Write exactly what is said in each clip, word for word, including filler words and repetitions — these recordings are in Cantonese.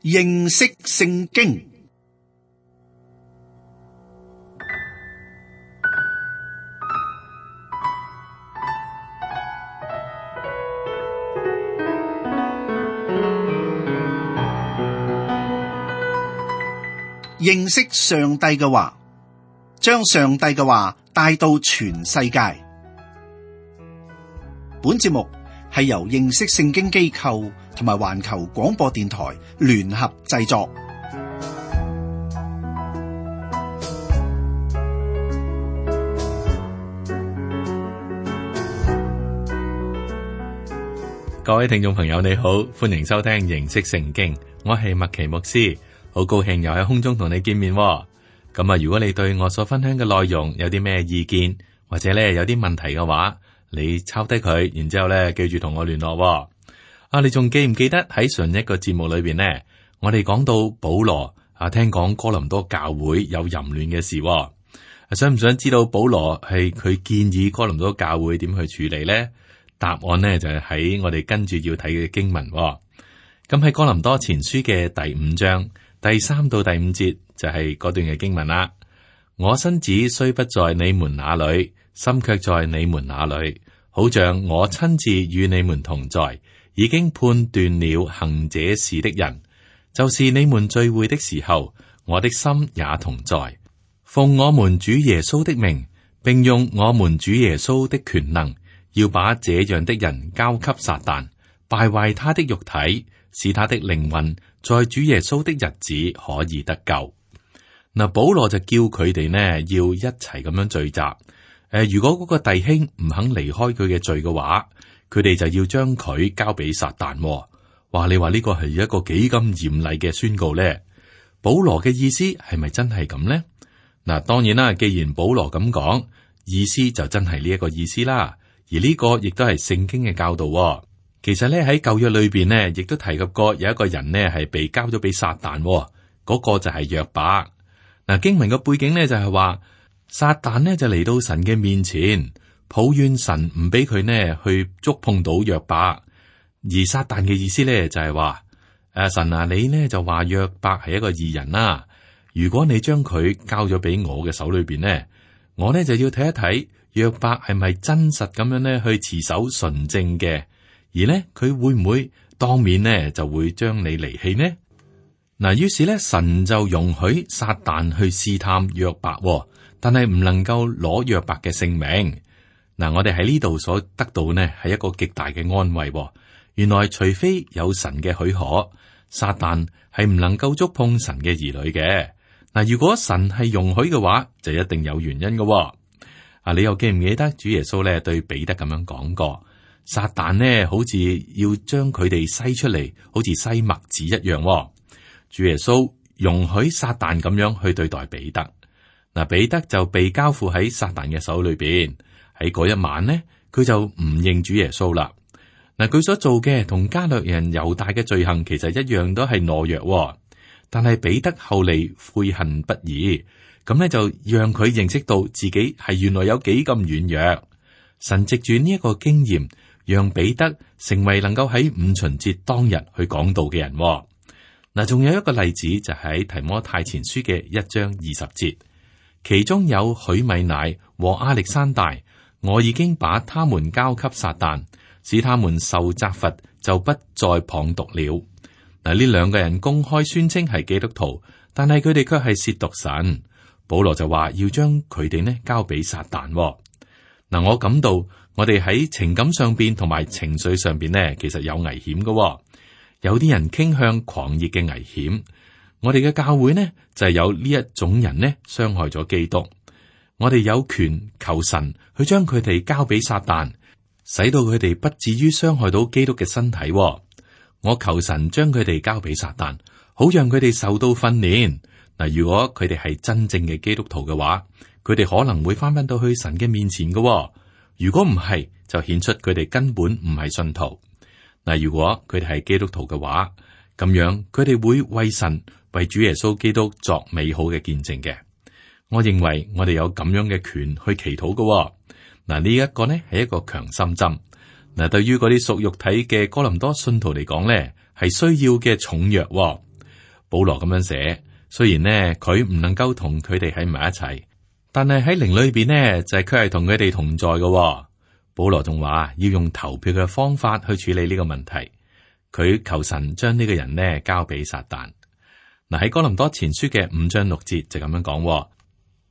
認識聖經。認識上帝嘅話，將上帝嘅話帶到全世界。本節目係由認識聖經機構同埋環球廣播電台聯合製作。各位聽眾朋友，你好，歡迎收聽認識聖經，我係麥奇牧師，好高興又喺空中同你見面。咁啊，如果你對我所分享嘅內容有啲咩意見，或者咧有啲問題嘅話，你抄低佢，然之後咧記住同我聯絡。啊，你仲記唔記得喺上一個節目裏邊呢？我哋講到保羅啊，聽講哥林多教會有淫亂嘅事。想唔想知道保羅係佢建議哥林多教會點去處理呢？答案呢就係喺我哋跟住要睇嘅經文。咁喺哥林多前書嘅第五章第三到第五節就係嗰段嘅經文啦。我身子雖不在你們那裏，心卻在你們那裏，好像我親自與你們同在，已經判斷了行這事的人，就是你們聚會的時候，我的心也同在。奉我們主耶穌的名，並用我們主耶穌的權能，要把這樣的人交給撒旦，敗壞他的肉體，使他的靈魂在主耶穌的日子可以得救。嗱，保羅就叫佢哋呢要一齊咁樣聚集。誒、呃，如果嗰個弟兄唔肯離開佢嘅罪嘅話，佢哋就要將佢交俾撒旦。哇，你話呢個係一個幾咁嚴厲嘅宣告呢？保羅嘅意思係咪真係咁呢？嗱，當然啦，既然保羅咁講，意思就真係呢一個意思啦。而呢個亦都係聖經嘅教導。其實咧喺舊約裏邊呢，亦都提及過有一個人呢係被交咗俾撒旦，嗰、那個就係約伯。嗱，經文嘅背景呢就係話，撒旦呢就嚟到神嘅面前，抱怨神唔俾佢呢去觸碰到約伯。而撒旦嘅意思呢就係話，誒，神啊，你呢就話約伯係一個義人啦，如果你將佢交咗俾我嘅手裏邊呢，我呢就要睇一睇約伯係咪真實咁樣呢去持守純正嘅，而呢佢會唔會當面呢就會將你離棄呢？嗱，於是咧，神就容許撒旦去試探約伯，但係唔能夠攞約伯嘅性命。嗱，我哋喺呢度所得到呢係一個極大嘅安慰。原來除非有神嘅許可，撒旦係唔能夠觸碰神嘅兒女嘅。嗱，如果神係容許嘅話，就一定有原因嘅。啊，你又記唔記得主耶穌咧對彼得咁樣講過？撒旦呢好似要將佢哋篩出嚟，好似篩麥子一樣。主耶穌容許撒旦咁樣去對待彼得，嗱，彼得就被交付喺撒旦嘅手裏邊。喺嗰一晚呢，佢就唔認主耶穌啦。嗱，佢所做嘅同加略人猶大嘅罪行其實一樣，都係懦弱。但係彼得後嚟悔恨不已，咁呢就讓佢認識到自己係原來有幾咁軟弱。神藉住呢一個經驗，讓彼得成為能夠喺五旬節當日去講道嘅人。嗱，仲有一個例子就喺提摩太前書嘅一章二十節，其中有許米乃和亞歷山大，我已經把他們交給撒旦，使他們受責罰，就不再謗讟了。嗱，呢兩個人公開宣稱係基督徒，但係佢哋卻係褻瀆神。保羅就話要將佢哋呢交俾撒旦。嗱，我感到我哋喺情感上邊同埋情緒上邊呢，其實有危險嘅。有啲人傾向狂熱嘅危險，我哋嘅教會呢就係有呢一種人呢傷害咗基督。我哋有權求神去將佢哋交俾撒旦，使到佢哋不至於傷害到基督嘅身體。我求神將佢哋交俾撒旦，好讓佢哋受到訓練。嗱，如果佢哋係真正嘅基督徒嘅話，佢哋可能會翻返到去神嘅面前嘅。如果唔係，就顯出佢哋根本唔係信徒。嗱，如果佢哋係基督徒嘅話，咁樣佢哋會為神、為主耶穌基督作美好嘅見證嘅。我認為我哋有咁樣嘅權去祈禱嘅。嗱，呢一個呢係一個強心針。嗱，對於嗰啲屬肉體嘅哥林多信徒嚟講呢，係需要嘅重藥。保羅咁樣寫，雖然呢佢唔能夠同佢哋喺埋一齊，但係喺靈裏邊呢就係佢係同佢哋同在嘅。保羅仲話要用投票嘅方法去處理呢個問題，佢求神將呢個人呢交俾撒旦。嗱，喺哥林多前書嘅五章六節就咁樣講：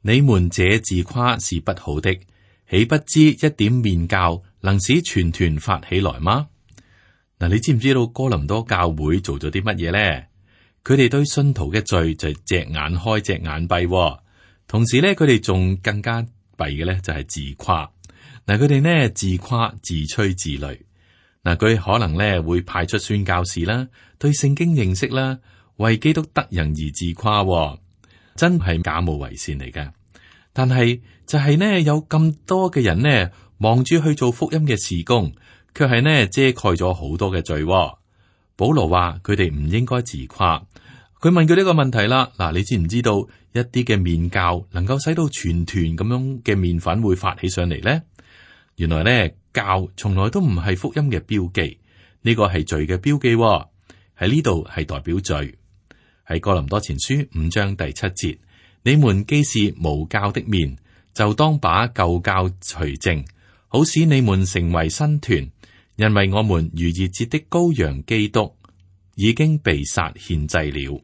你們這自誇是不好的，豈不知一點麵酵能使全團發起來嗎？嗱，你知唔知道哥林多教會做咗啲乜嘢咧？佢哋對信徒嘅罪就係隻眼開隻眼閉，同時咧佢哋仲更加弊嘅咧就係自誇。嗱，佢哋呢自誇自吹自擂。嗱，佢可能咧會派出宣教士啦，對聖經認識啦，為基督得人而自誇，真係假冒為善嚟㗎。但係就係呢有咁多嘅人呢望住去做福音嘅事工，卻係呢遮蓋咗好多嘅罪。保羅話佢哋唔應該自誇。佢問佢呢個問題啦，嗱，你知唔知道一啲嘅麵酵能夠使到全團咁樣嘅麵粉會發起上嚟呢？原來咧，酵從來都唔係福音嘅標記，呢個係罪嘅標記。喺呢度係代表罪。喺哥林多前書五章第七節，你們既是無酵的麵，就當把舊酵除淨，好使你們成為新團。因為我們逾越節的羔羊基督已經被殺獻祭了。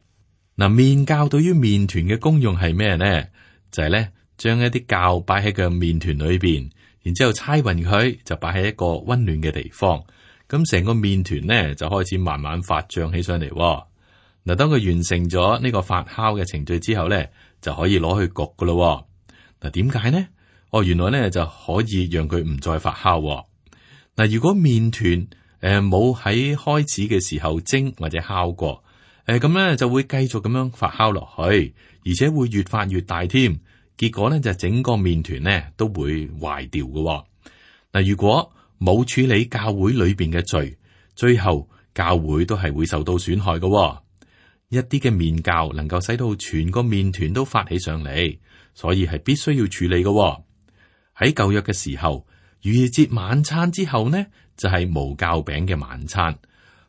嗱，麵酵對於麵團嘅功用係咩呢？就係咧，將一啲酵擺喺個麵團裏邊。然之後猜勻佢，就擺喺一個溫暖嘅地方，咁成個麵團呢就開始慢慢發脹起上嚟。嗱，當佢完成咗呢個發酵嘅程序之後呢，就可以攞去焗噶咯。嗱，點解呢？哦，原來呢就可以讓佢唔再發酵。嗱，如果麵團誒冇喺開始嘅時候蒸或者烤過，誒咁呢就會繼續咁樣發酵落去，而且會越發越大添。結果咧就整個麵團咧都會壞掉嘅。嗱，如果冇處理教會裏邊嘅罪，最後教會都係會受到損害嘅。一啲嘅麵酵能夠使到全個麵團都發起上嚟，所以係必須要處理嘅。喺舊約嘅時候，逾越節晚餐之後呢，就係無酵餅嘅晚餐。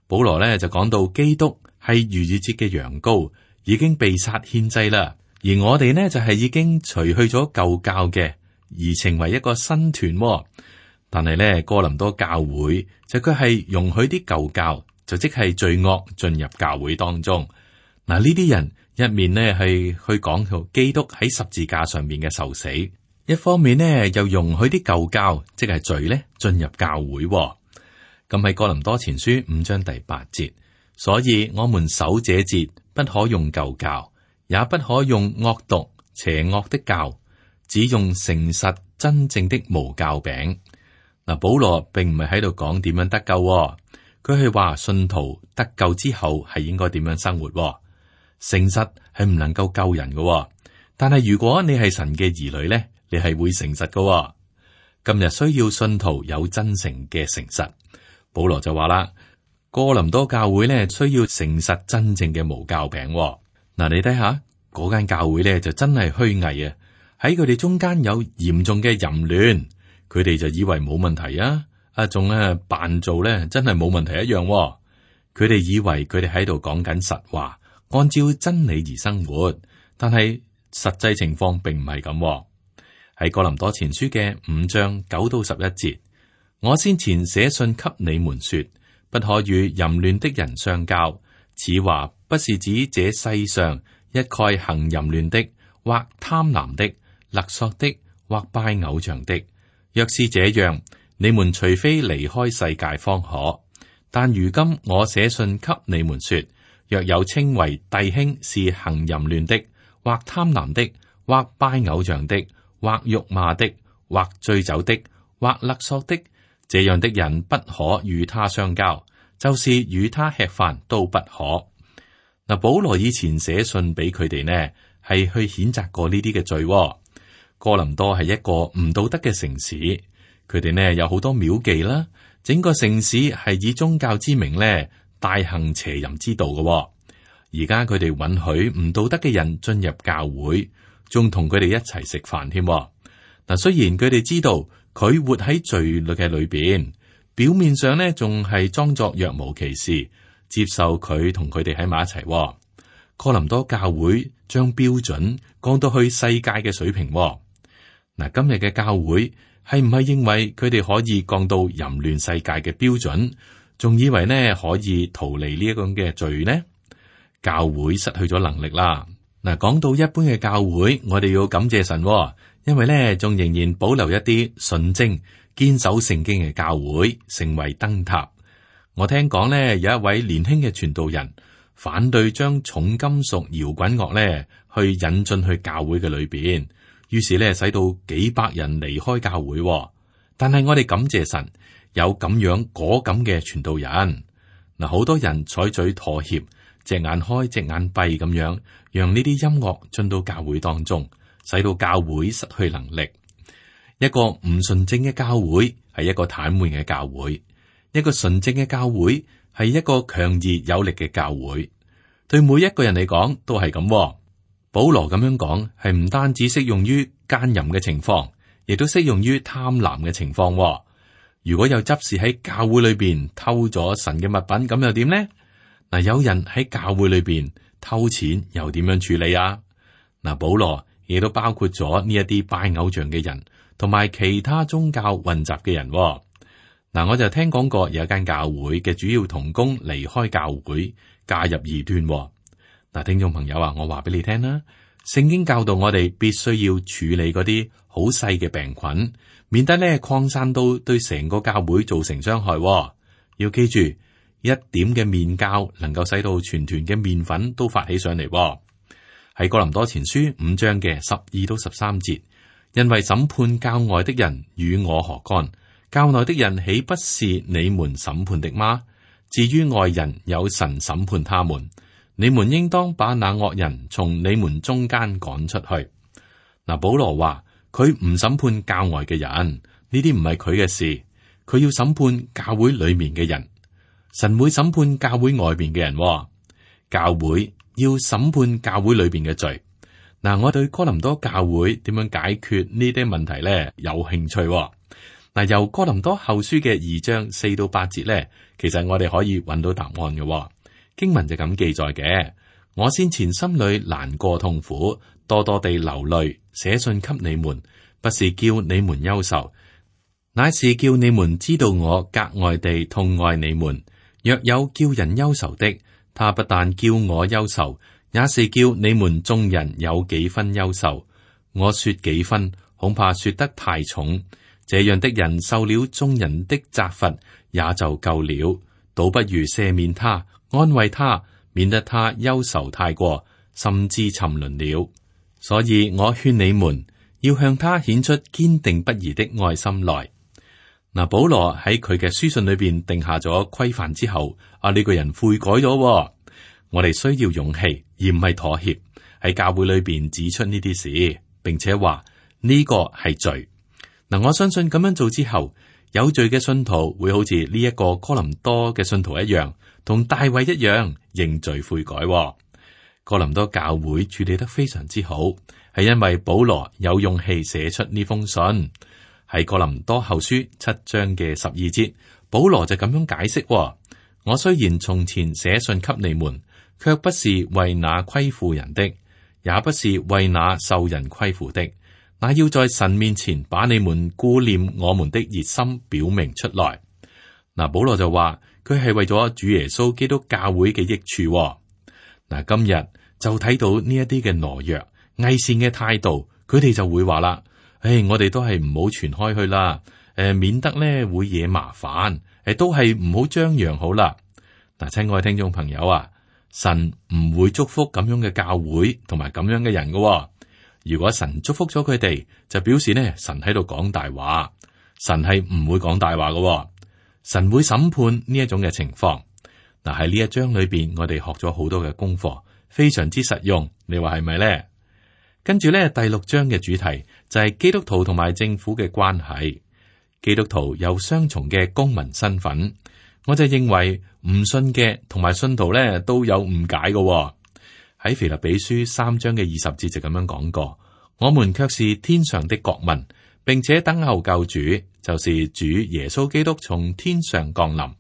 保羅咧就講到基督係逾越節嘅羊羔，已經被殺獻祭啦。而我哋呢就係、是、已經除去咗舊酵嘅，而成為一個新團、哦。但係呢，哥林多教會就佢係容許啲舊酵，就即係罪惡進入教會當中。嗱，呢啲人一面呢係去講到基督喺十字架上面嘅受死，一方面呢又容許啲舊酵，即係罪呢進入教會、哦。咁喺哥林多前書五章第八節，所以我們守這節不可用舊酵。也不可用惡毒邪惡的酵，只用誠實真正的無酵餅。嗱，保羅並唔係喺度講點樣得救、哦，佢係話信徒得救之後係應該點樣生活、哦。誠實係唔能夠救人嘅、哦，但係如果你係神嘅兒女咧，你係會誠實嘅、哦。今日需要信徒有真誠嘅誠實。保羅就話啦，哥林多教會咧需要誠實真正嘅無酵餅、哦。嗱，你睇下嗰間教會咧就真係虛偽啊！喺佢哋中間有嚴重嘅淫亂，佢哋就以為冇問題啊！啊，仲咧扮做咧真係冇問題一樣、哦。佢哋以為佢哋喺度講緊實話，按照真理而生活，但係實際情況並唔係咁。喺哥林多前書嘅五章九到十一節，我先前寫信給你們說，不可與淫亂的人相交。此話不是指這世上一概行淫亂的，或貪婪的、勒索的，或拜偶像的。若是這樣，你們除非離開世界方可。但如今我寫信給你們說，若有稱為弟兄是行淫亂的，或貪婪的，或拜偶像的，或辱罵的，或醉酒的，或勒索的，這樣的人不可與他相交。就是與他吃飯都不可。嗱，保羅以前寫信俾佢哋呢，係去譴責過呢啲嘅罪。哥林多係一個唔道德嘅城市，佢哋呢有好多廟妓啦，整個城市係以宗教之名呢大行邪淫之道嘅。而家佢哋允許唔道德嘅人進入教會，仲同佢哋一齊食飯添。嗱，雖然佢哋知道佢活喺罪律嘅裏邊。表面上呢，仲係裝作若無其事，接受佢同佢哋喺埋一齊。哥林多教會將標準降到去世界嘅水平。嗱，今日嘅教會係唔係認為佢哋可以降到淫亂世界嘅標準，仲以為呢可以逃離呢一種嘅罪呢？教會失去咗能力啦。嗱，講到一般嘅教會，我哋要感謝神，因為呢仲仍然保留一啲純正、堅守聖經嘅教會，成為燈塔。我聽講呢，有一位年輕嘅傳道人反對將重金屬搖滾樂呢去引進去教會嘅裏邊，於是呢使到幾百人離開教會。但係我哋感謝神，有咁樣果敢嘅傳道人。嗱，好多人採取妥協，隻眼開隻眼閉咁樣，讓呢啲音樂進到教會當中，使到教會失去能力。一個唔純正嘅教會係一個癱瘓嘅教會，一個純正嘅教會係一個強而有力嘅教會。對每一個人嚟講都係咁。保羅咁樣講係唔單止適用於奸淫嘅情況，亦都適用於貪婪嘅情況。如果有執事喺教會裏邊偷咗神嘅物品，咁又點呢？嗱，有人喺教會裏邊偷錢，又點樣處理啊？嗱，保羅亦都包括咗呢一啲拜偶像嘅人，同埋其他宗教混雜嘅人。嗱，我就聽講過有一間教會嘅主要同工離開教會，加入異端。嗱，聽眾朋友啊，我話俾你聽啦，聖經教導我哋必須要處理嗰啲好細嘅病菌，免得咧擴散到對成個教會造成傷害。要記住，一點嘅麵酵能夠使到全團嘅麵粉都發起上嚟。喺哥林多前書五章嘅十二到十三節，因為審判教外的人與我何干？教內的人豈不是你們審判的嗎？至於外人，有神審判他們。你們應當把那惡人從你們中間趕出去。嗱，保羅話佢唔審判教外嘅人，呢啲唔係佢嘅事，佢要審判教會裏面嘅人。神會審判教會外邊嘅人，教會要審判教會裏邊嘅罪。嗱，我對哥林多教會點樣解決呢啲問題咧有興趣。嗱，由哥林多後書嘅二章四到八節咧，其實我哋可以揾到答案嘅。經文就咁記載嘅。我先前心裏難過痛苦，多多地流淚，寫信給你們，不是叫你們憂愁，乃是叫你們知道我格外地痛愛你們。若有叫人憂愁的，他不但叫我憂愁，也是叫你們眾人有幾分憂愁。我說幾分，恐怕說得太重。這樣的人受了眾人的責罰，也就夠了，倒不如赦免他，安慰他，免得他憂愁太過，甚至沉淪了。所以我勸你們要向他顯出堅定不移的愛心來。嗱，保羅喺佢嘅書信裏邊定下咗規範之後，啊呢、這個人悔改咗。我哋需要勇氣，而唔係妥協，喺教會裏邊指出呢啲事，並且話呢、這個係罪。嗱，我相信咁樣做之後，有罪嘅信徒會好似呢一個哥林多嘅信徒一樣，同大衛一樣認罪悔改。哥林多教會處理得非常之好，係因為保羅有勇氣寫出呢封信。喺哥林多後書七章嘅十二節，保羅就咁樣解釋：我雖然從前寫信給你們，卻不是為那虧負人的，也不是為那受人虧負的。那要在神面前把你們顧念我們的熱心表明出來。嗱，保羅就話佢係為咗主耶穌基督教會嘅益處。嗱，今日就睇到呢一啲嘅懦弱、偽善嘅態度，佢哋就會話啦：誒、哎，我哋都係唔好傳開去啦，誒，免得咧會惹麻煩，誒，都係唔好張揚好啦。嗱，親愛聽眾朋友啊，神唔會祝福咁樣嘅教會同埋咁樣嘅人噶。如果神祝福咗佢哋，就表示呢，神喺度講大話。神係唔會講大話嘅，神會審判呢一種嘅情況。嗱，喺呢一章裏邊，我哋學咗好多嘅功課，非常之實用。你話係咪呢？跟住呢，第六章嘅主題就係基督徒同埋政府嘅關係。基督徒有雙重嘅公民身份，我就認為唔信嘅同埋信徒呢都有誤解嘅。喺腓立比書三章嘅二十節就咁樣講過，我們卻是天上的國民，並且等候救主，就是主耶穌基督從天上降臨。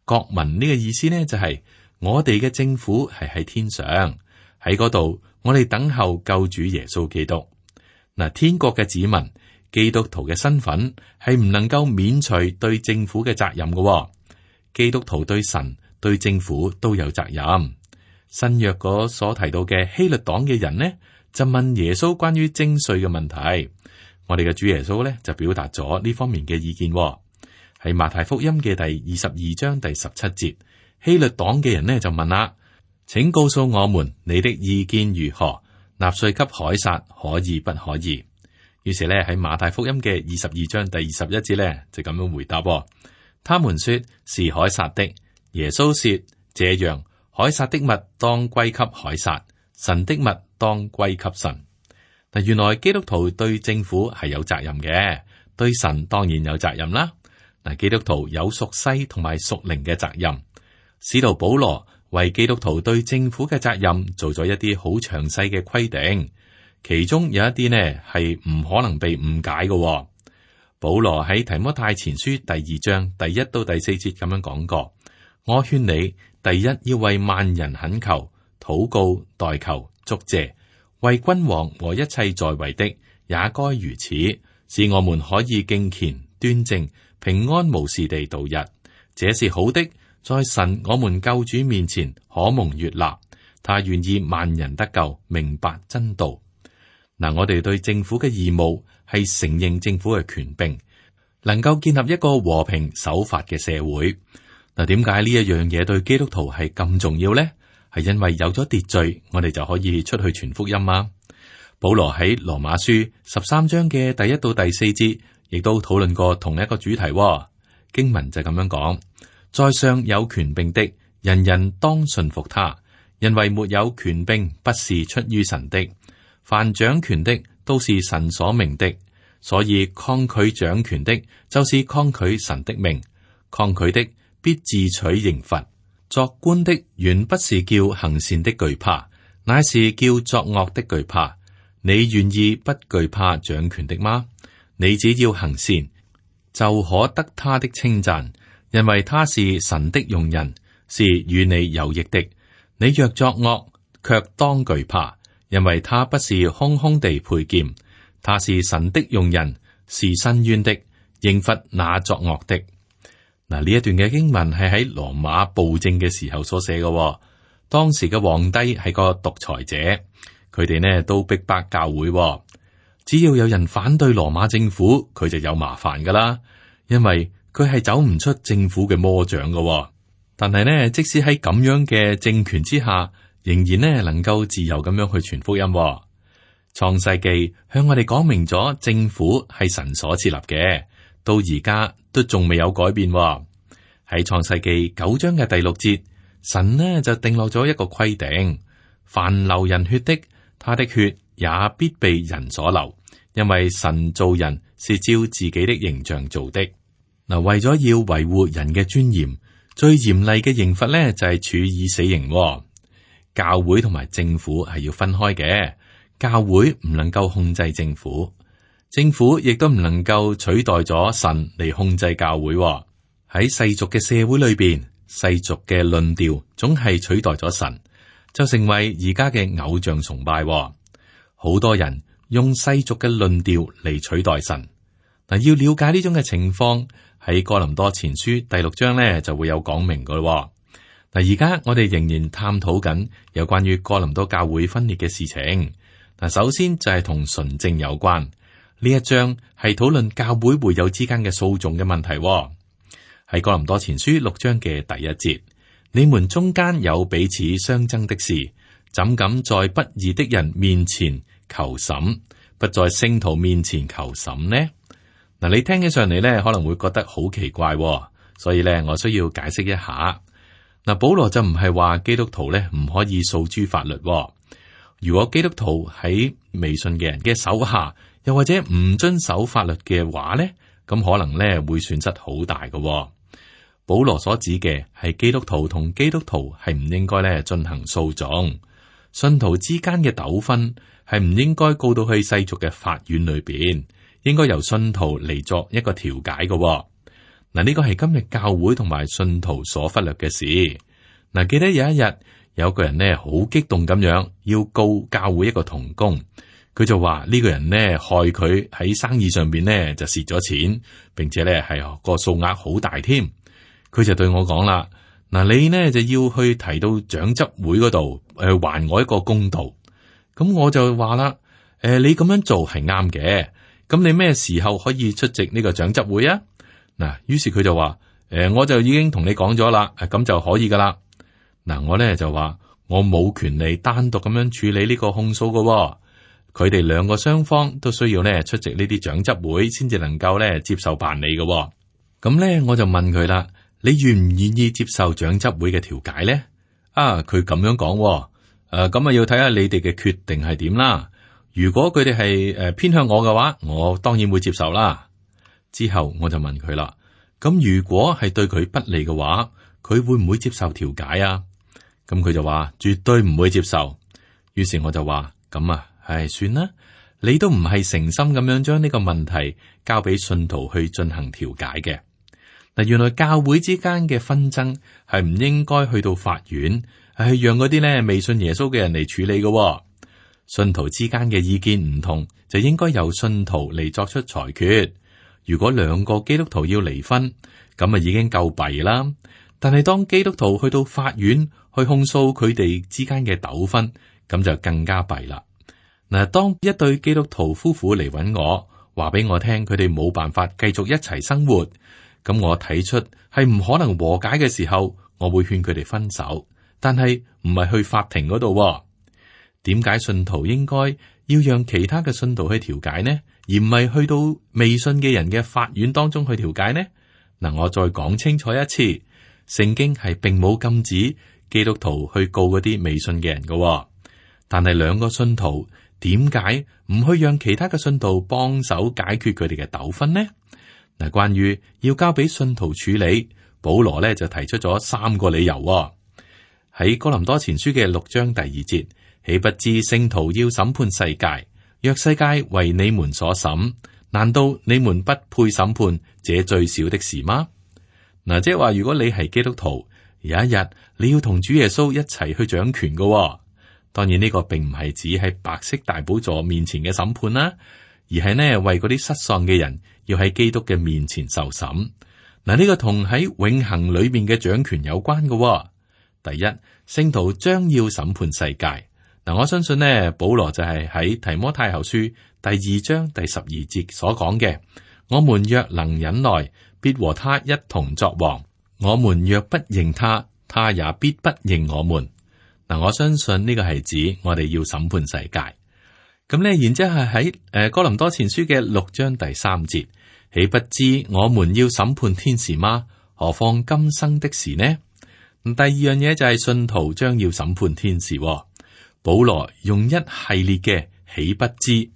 國民呢個意思呢，就係、是、我哋嘅政府係喺天上，喺嗰度，我哋等候救主耶穌基督。嗱，天國嘅子民，基督徒嘅身份係唔能夠免除對政府嘅責任嘅。基督徒對神、對政府都有責任。新約嗰所提到嘅希律黨嘅人呢，就問耶穌關於徵稅嘅問題。我哋嘅主耶穌呢，就表達咗呢方面嘅意見。喺馬太福音嘅第二十二章第十七節，希律黨嘅人呢就問啦：請告訴我們你的意見如何？納稅給凱撒可以不可以？於是呢，喺馬太福音嘅二十二章第二十一節呢，就咁樣回答。他們說是凱撒的。耶穌說：這樣，凱撒的物當歸給凱撒，神的物當歸給神。嗱，原來基督徒對政府係有責任嘅，對神當然有責任啦。嗱，基督徒有屬世同埋屬靈嘅責任。使徒保羅為基督徒對政府嘅責任做咗一啲好詳細嘅規定，其中有一啲呢係唔可能被誤解嘅。保羅喺提摩太前書第二章第一到第四節咁樣講過：我勸你，第一要為萬人懇求、禱告、代求、祝謝，為君王和一切在位的也該如此，使我們可以敬虔、端正、平安無事地度日。這是好的，在神我們救主面前可蒙悅納。他願意萬人得救，明白真道。嗱，我哋對政府嘅義務係承認政府嘅權柄，能夠建立一個和平守法嘅社會。嗱，點解呢一樣嘢對基督徒係咁重要呢？係因為有咗秩序，我哋就可以出去傳福音啊。保羅喺羅馬書十三章嘅第一到第四節，亦都討論過同一個主題。經文就咁樣講：在上有權柄的，人人當順服他，因為沒有權柄不是出於神的。凡掌權的都是神所命的，所以抗拒掌權的，就是抗拒神的命。抗拒的必自取刑罰。作官的原不是叫行善的懼怕，乃是叫作惡的懼怕。你願意不懼怕掌權的嗎？你只要行善，就可得他的稱讚，因為他是神的用人，是與你有益的。你若作惡，卻當懼怕。因為他不是空空地佩劍，他是神的用人，是伸冤的，刑罰那作惡的。嗱，呢一段嘅經文係喺羅馬暴政嘅時候所寫嘅。當時嘅皇帝係個獨裁者，佢哋呢都逼迫教會。只要有人反對羅馬政府，佢就有麻煩噶啦，因為佢係走唔出政府嘅魔掌嘅。但係呢，即使喺咁樣嘅政權之下，仍然呢能夠自由咁樣去傳福音。創世記向我哋講明咗政府係神所設立嘅，到而家都仲未有改變。喺創世記九章嘅第六節，神呢就定落咗一個規定：凡流人血的，他的血也必被人所流，因為神造人是照自己的形象做的。嗱，為咗要維護人嘅尊嚴，最嚴厲嘅刑罰呢就係處以死刑。教會同埋政府係要分開嘅，教會唔能夠控制政府，政府亦都唔能夠取代咗神嚟控制教會。喺世俗嘅社會裏邊，世俗嘅論調總係取代咗神，就成為而家嘅偶像崇拜。好多人用世俗嘅論調嚟取代神。嗱，要了解呢種嘅情況，喺哥林多前書第六章咧就會有講明噶咯。嗱，而家我哋仍然探討緊有關於哥林多教會分裂嘅事情。嗱，首先就係同純正有關，呢一章係討論教會會友之間嘅訴訟嘅問題。喺哥林多前書六章嘅第一節，你們中間有彼此相爭的事，怎敢在不義的人面前求審，不在聖徒面前求審呢？嗱，你聽起上嚟咧，可能會覺得好奇怪，所以咧，我需要解釋一下。嗱，保羅就唔係話基督徒咧唔可以訴諸法律。如果基督徒喺未信嘅人嘅手下，又或者唔遵守法律嘅話咧，咁可能咧會損失好大嘅。保羅所指嘅係基督徒同基督徒係唔應該咧進行訴訟，信徒之間嘅糾紛係唔應該告到去世俗嘅法院裏邊，應該由信徒嚟作一個調解嘅。嗱，呢個係今日教會同埋信徒所忽略嘅事。嗱，記得有一日有個人呢好激動咁樣要告教會一個同工，佢就話呢個人呢害佢喺生意上邊呢就蝕咗錢，並且呢係個數額好大添。佢就對我講啦，嗱，你呢就要去提到長執會嗰度，誒還我一個公道。咁我就話啦，誒、呃、你咁樣做係啱嘅，咁你咩時候可以出席呢個長執會啊？嗱，於是佢就話，誒、呃、我就已經同你講咗啦，咁就可以噶啦。嗱，我咧就話我冇權利單獨咁樣處理呢個控訴噶、哦，佢哋兩個雙方都需要咧出席呢啲長執會，先至能夠咧接受辦理噶、哦。咁咧我就問佢啦，你願唔願意接受長執會嘅調解咧？啊，佢咁樣講、哦。誒，咁啊要睇下你哋嘅決定係點啦。如果佢哋係誒偏向我嘅話，我當然會接受啦。之後我就問佢啦，咁如果係對佢不利嘅話，佢會唔會接受調解啊？咁佢就話絕對唔會接受。於是我就話咁啊，唉，算啦，你都唔係誠心咁樣將呢個問題交俾信徒去進行調解嘅。嗱，原來教會之間嘅紛爭係唔應該去到法院。係讓嗰啲咧未信耶穌嘅人嚟處理嘅、哦，信徒之間嘅意見唔同，就應該由信徒嚟作出裁決。如果兩個基督徒要離婚，咁啊已經夠弊啦。但係當基督徒去到法院去控訴佢哋之間嘅糾紛，咁就更加弊啦。嗱，當一對基督徒夫婦嚟揾我，話俾我聽佢哋冇辦法繼續一齊生活，咁我睇出係唔可能和解嘅時候，我會勸佢哋分手。但係唔係去法庭嗰度，點解信徒應該要讓其他嘅信徒去調解呢？而唔係去到未信嘅人嘅法院當中去調解呢？嗱，我再講清楚一次，聖經係並冇禁止基督徒去告嗰啲未信嘅人嘅，但係兩個信徒點解唔去讓其他嘅信徒幫手解決佢哋嘅糾紛呢？嗱，關於要交俾信徒處理，保羅咧就提出咗三個理由。喺哥林多前書嘅六章第二節，豈不知聖徒要審判世界？若世界為你們所審，難道你們不配審判這最小的事嗎？嗱，即係話，如果你係基督徒，有一日你要同主耶穌一齊去掌權嘅、哦，當然呢個並唔係指喺白色大寶座面前嘅審判啦，而係呢為嗰啲失喪嘅人要喺基督嘅面前受審。嗱，呢個同喺永恆裏面嘅掌權有關嘅、哦。第一，聖徒將要審判世界。嗱，我相信呢，保羅就係喺提摩太後書第二章第十二節所講嘅：我們若能忍耐，必和他一同作王；我們若不認他，他也必不認我們。嗱，我相信呢個係指我哋要審判世界。咁呢，然之後係喺誒哥林多前書嘅六章第三節，豈不知我們要審判天使嗎？何況今生的事呢？第二樣嘢就係信徒將要審判天使、哦。保羅用一系列嘅豈不知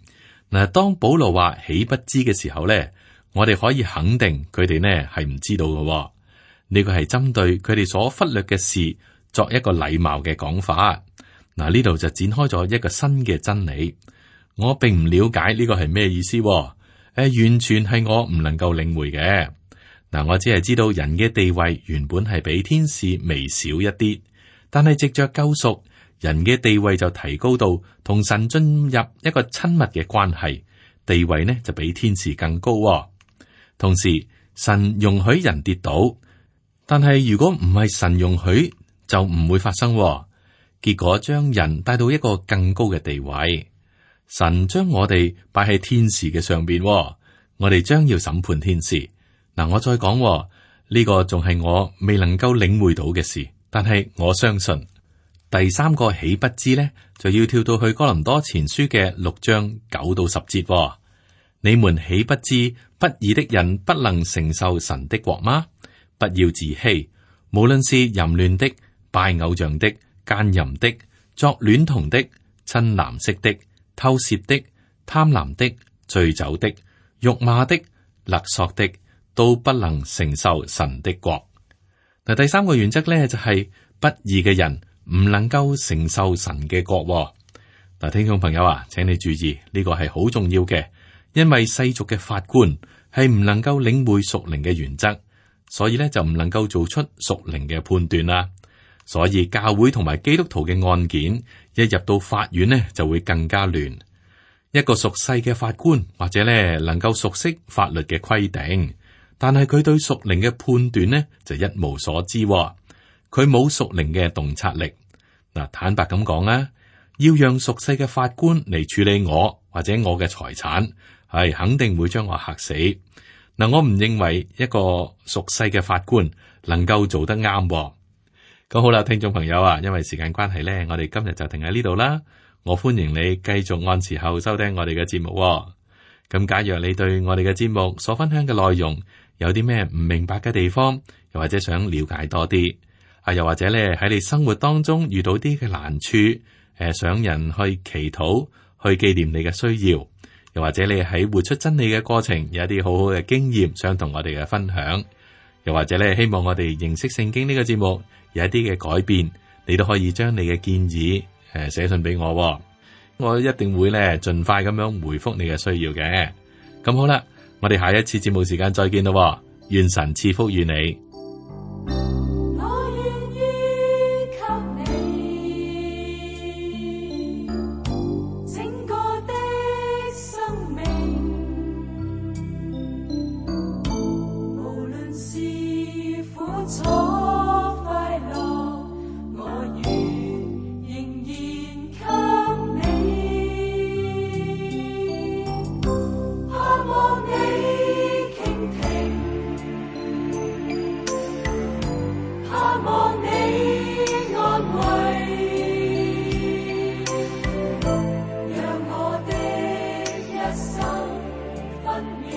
嗱，當保羅話豈不知嘅時候咧，我哋可以肯定佢哋呢係唔知道嘅、哦。呢個係針對佢哋所忽略嘅事作一個禮貌嘅講法。嗱，呢度就展開咗一個新嘅真理。我並唔了解呢個係咩意思、哦，誒，完全係我唔能夠領會嘅。嗱，我只係知道人嘅地位原本係比天使微小一啲，但係藉着救贖，人嘅地位就提高到同神進入一個親密嘅關係，地位呢就比天使更高、哦。同時，神容許人跌倒，但係如果唔係神容許，就唔會發生、哦。結果將人帶到一個更高嘅地位，神將我哋擺喺天使嘅上邊、哦，我哋將要審判天使。嗱，我再講呢、呢個仲係我未能夠領會到嘅事，但係我相信第三個豈不知呢，就要跳到去哥林多前書嘅六章九到十節、哦。你們豈不知不義的人不能承受神的國嗎？不要自欺，無論是淫亂的、拜偶像的、奸淫的、作戀童的、親男色的、偷竊的、貪婪的、醉酒的、辱罵的、勒索的，都不能承受神的國。嗱，第三個原則咧就係、是、不義嘅人唔能夠承受神嘅國、哦。嗱，聽眾朋友啊，請你注意呢、這個係好重要嘅，因為世俗嘅法官係唔能夠領會屬靈嘅原則，所以咧就唔能夠做出屬靈嘅判斷啦。所以教會同埋基督徒嘅案件一入到法院呢，就會更加亂。一個屬世嘅法官或者咧能夠熟悉法律嘅規定，但係佢對屬靈嘅判斷呢就一無所知。佢冇屬靈嘅洞察力。嗱，坦白咁講啊，要讓屬世嘅法官嚟處理我或者我嘅財產，係肯定會將我嚇死。嗱，我唔認為一個屬世嘅法官能夠做得啱。咁好啦，聽眾朋友啊，因為時間關係咧，我哋今日就停喺呢度啦。我歡迎你繼續按時候收聽我哋嘅節目。咁假若你對我哋嘅節目所分享嘅內容有啲咩唔明白嘅地方，又或者想了解多啲，啊，又或者咧喺你生活當中遇到啲嘅難處，誒，想人去祈禱，去紀念你嘅需要，又或者你喺活出真理嘅過程有一啲好好嘅經驗，想同我哋嘅分享，又或者咧希望我哋認識聖經呢個節目有一啲嘅改變，你都可以將你嘅建議誒寫信俾我，我一定會咧盡快咁樣回覆你嘅需要嘅。咁好啦，我哋下一次節目時間再見咯，願神賜福與你。我願意給你整個的生命，無論是苦楚快樂，我願仍然給你，盼望你傾聽，盼望你安慰，讓我的一生分秒